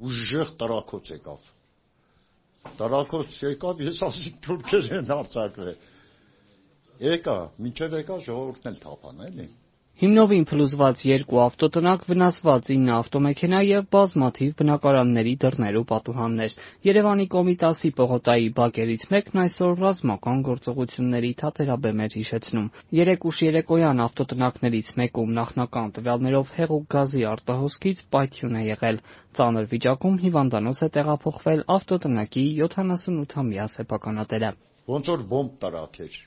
Ուժեղ տրակոց եկավ։ Տրակոց եկավ, ես ասի թուրքեր են արձակվել։ Եկա, մինչև եկա ժողովուրդն էլ թափան, էլի։ Հիմնովին փլուզված 2 ավտոտնակ, վնասված 9 ավտոմեքենա եւ բազմաթիվ բնակարանների դռներ ու պատուհաններ։ Երևանի Կոմիտասի պողոտայի բակերից մեկն այսօր ռազմական գործողությունների թատերաբեմ էր հիշեցնում։ 3 ուշ երեկոյան ավտոտնակներից մեկում նախնական տվյալներով հեղուկ գազի արտահոսքից պայթյուն է եղել։ Ծանր վիճակում հիվանդանոց է տեղափոխվել ավտոտնակի 78-ամյա սեփականատերը։ Ոնց որ բոմբ տրակեր։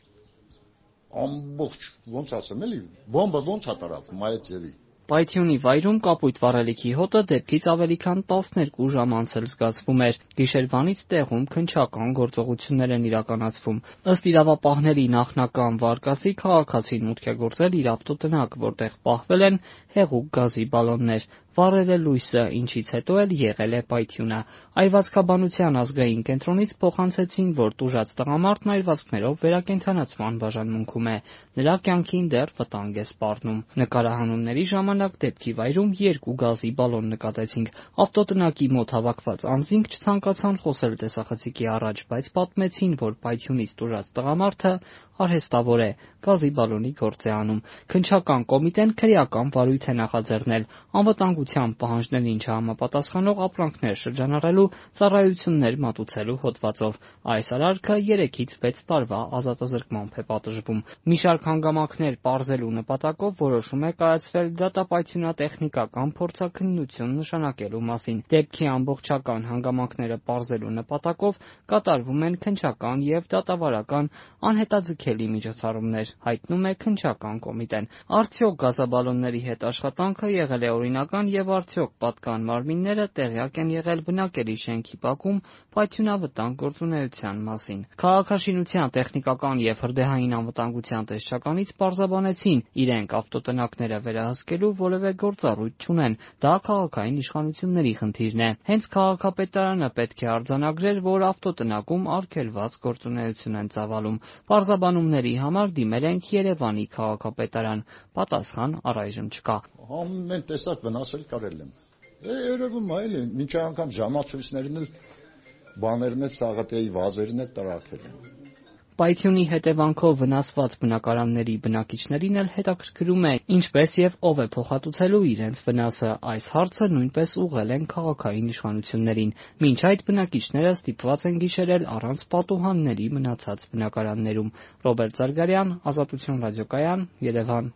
Ամբողջ, ոնց ասեմ, էլի, բոմբը ոնց է տրակվում այդ ձևի։ Պայթյունի վայրում կապույտ վառելիքի հոտը դեպքից ավելի քան 12 ժամ անց էլ զգացվում էր։ Գիշերվանից տեղում քննչական գործողություններ են իրականացվում։ Ըստ իրավապահների նախնական վարկածի քաղաքացին մուտք է գործել իր ավտոտնակ, որտեղ պահվել են հեղուկ գազի բալոններ։ Վառել է լույսը, ինչից հետո էլ եղել է պայթյունը։ Այրվածքաբանության ազգային կենտրոնից փոխանցեցին, որ տուժած տղամարդն այրվածքներով վերակենդանացման բաժանմունքում է։ Նրա կյանքին դեռ վտանգ է սպառնում։ Նկարահանումների ժամանակ դեպքի վայրում 2 գազի բալոն նկատեցինք։ Ավտոտնակի մոտ հավաքված անձինք չցանկացան խոսել տեսախցիկի առաջ, բայց պատմեցին, որ պայթյունից տուժած տղամարդը արհեստավոր է, գազի բալոնի գործ է անում։ Քննչական կոմիտեն քրեական վարույթ է նախաձեռնել անվտանգության պահանջներին չհամապատասխանող ապրանքներ շրջանառելու ծառայություններ մատուցելու հոդվածով։ Այս արարքը 3-ից 6 տարվա ազատազրկմամբ է պատժվում։ Մի շարք հանգամանքներ պարզելու նպատակով որոշում է կայացվել դատապայթյունատեխնիկական փորձաքննություն նշանակելու մասին։ Դեպքի ամբողջական հանգամանքները պարզելու նպատակով կատարվում են քննչական եւ դատավարական անհետաձգելի միջոցառումներ, հայտնում է քննչական կոմիտեն։ Արդյոք գազաբալոնների հետ աշխատանքը եղել է օրինական եւ արդյոք պատկան մարմինները տեղյակ են եղել բնակելի շենքի բակում պայթյունավտանգ գործունեության մասին։ Քաղաքաշինության տեխնիկական եւ հրդեհային անվտանգության տեսչականից պարզաբանեցին, իրենք ավտոտնակները վերահսկելու որևէ գործառույթ չունեն, դա քաղաքային իշխանությունների խնդիրն է։ Հենց քաղաքապետարանը պետք է արձանագրեր, որ ավտոտնակում արգելված գործունեություն են ծավալում։ Պարզաբանումների համար դիմել ենք Երևանի քաղաքապետարան։ Պատասխան առայժմ չկա։ Ամեն տեսակ վնասել կարել եմ։ Երևում է, էլի, մինչև անգամ ժամացույցներն էլ բաներն էլ Սաղաթեի վազերն էլ տրակել են։ Պայթյունի հետևանքով վնասված բնակարանների բնակիչներին էլ հետաքրքրում է, ինչպես եւ ով է փոխհատուցելու իրենց վնասը։ Այս հարցը նույնպես ուղղել են քաղաքային իշխանություններին։ Մինչ այդ բնակիչները ստիպված են գիշերել առանց պատուհանների մնացած բնակարաններում։ Ռոբերտ Զարգարյան, Ազատություն ռադիոկայան, Երևան։